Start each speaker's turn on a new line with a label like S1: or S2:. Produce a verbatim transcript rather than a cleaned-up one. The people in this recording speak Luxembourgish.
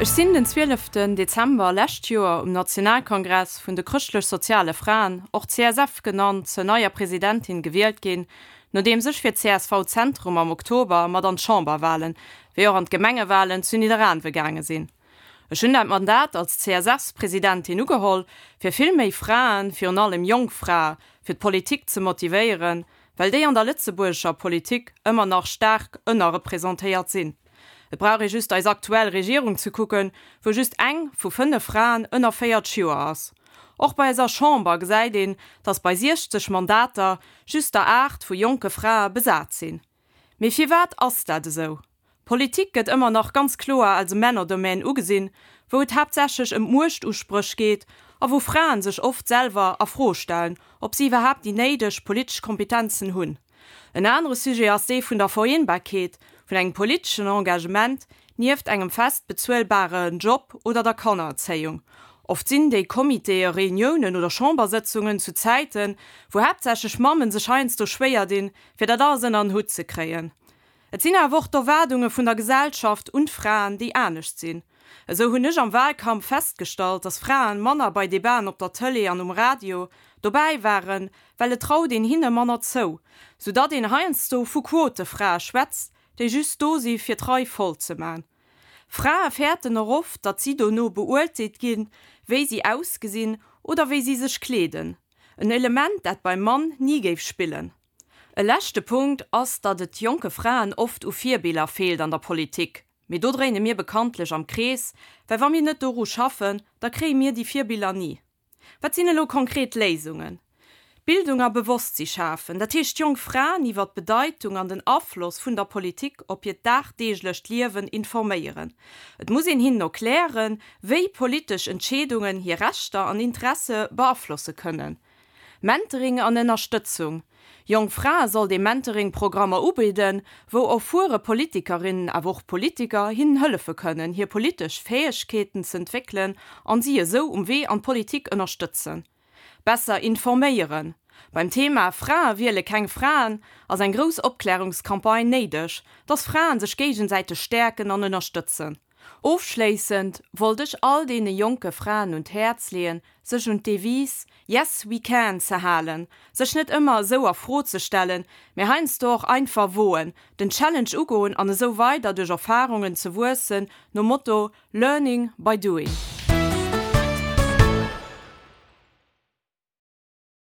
S1: Ech sinn den zwieleften Dezember lescht Joer um Nationalkongress vun de Chrëschtlech-Soziale Fraen, och C S F genannt, zur neier Presidentin gewielt ginn, nodeems ech fir C S V Zentrum am Oktober mat an d'Chamberwalen, wéi och an d'Gemengewalen zu Nidderaanwe gaange sinn. Ech hunn dat Mandat als C S F-Presidentin ugeholl, fir vill méi Fraen, virun allem jonk Frae, fir d'Politik ze motivéieren, well déi an der lëtzebuergescher Politik ëmmer nach staark ënnerrepresentéiert sinn. Et brauch ee just eis aktuell Regierung ze kucken, wou just eng vu fënnef Fraen ënner véierzeg Joer ass. Och bei eiser Chamber gesäit een, datt bei siechzeg Mandater just der aacht vu jonke Frae besat sinn. Mee firwat ass dat esou? Politik gëtt ëmmer nach ganz kloer als e Männerdomaine ugesinn, wou et haaptsächlech ëm Muechtuspréch geet a wou Fraen sech oft selwer a Fro stellen, ob si iwwerhaapt déi néideg politesch Kompetenzen hunn. En anere Sujet ass dee vun der Vereenbarkeet vun engem politeschen Engagement nieft engem fest bezuelbaren Job oder der Kannererzéiung. Oft sinn déi Comitéë Reuniounen oder Chambersëtzungen zu Zäiten, wou haaptsächlech Mammen sech heiansdo schwéier dinn, fir dat alles ënner en Hutt ze kréien. Et sinn awer och d'Erwaardunge vun der Gesellschaft un d'Fraen, déi anescht sinn. Esou hunn ech am Wahlkampf festgestallt, dass Fraen manner bei Debaten op der Tëlee an um Radio dobäi waren, well et traut een hinne manner zou, soudatt een heiansdo vu Quotefrae schwätzt, déi just do si fir d'Rei voll ze man. Frae fäerten och oft, datt si dono beurteelt ginn, wéi si ausgesinn oder wéi si sech kleeden. En Element, dat beim Mann ni géif spillen. E leschte Punkt ass, datt et jonke Fraen oft u Virbiller feelt an der Politik. Mee do dréine mir bekanntlech am Krees, well wa mir net doru schaffen, da kréie mir déi Virbiller ni. Wat sinn elo konkret Léisungen? Bildung a Bewosstsi schafen, dat heescht jonk Fraen iwwer d'Bedeitung an den Afloss vun der Politik op hiert dagdeeglecht Liewen informéieren. Et muss een hinnen erklären, wéi politesch Entscheedungen hir Rechter an Interesse beaflosse kënnen. Mentoring an Ënnerstëtzung. Jonk Frae sollt ee Mentoring-Programmer ubidden, wou erfuere Politikerinnen awer och Politiker hinnen hëllefe kënnen, hir politesch Fäegkeeten ze entwéckelen an si esou um Wee an d'Politik ënnerstëtzen. Besser informéieren. Beim Thema Frae wiele keng Fraen ass eng grouss Opklärungscampagne néideg, dass Fraen sech géigesäiteg stäerken an ënnerstëtzen. Ofschléissend wollt ech all deene jonke Fraen un d'Häerz leeën, sech un d'Devise Yes we can ze halen, sech net ëmmer esou a Fro ze stellen, mee heiansdo och einfach woen, den Challenge ugoen an esou weider duerch Erfarungen ze wuessen, nom Motto Learning by doing.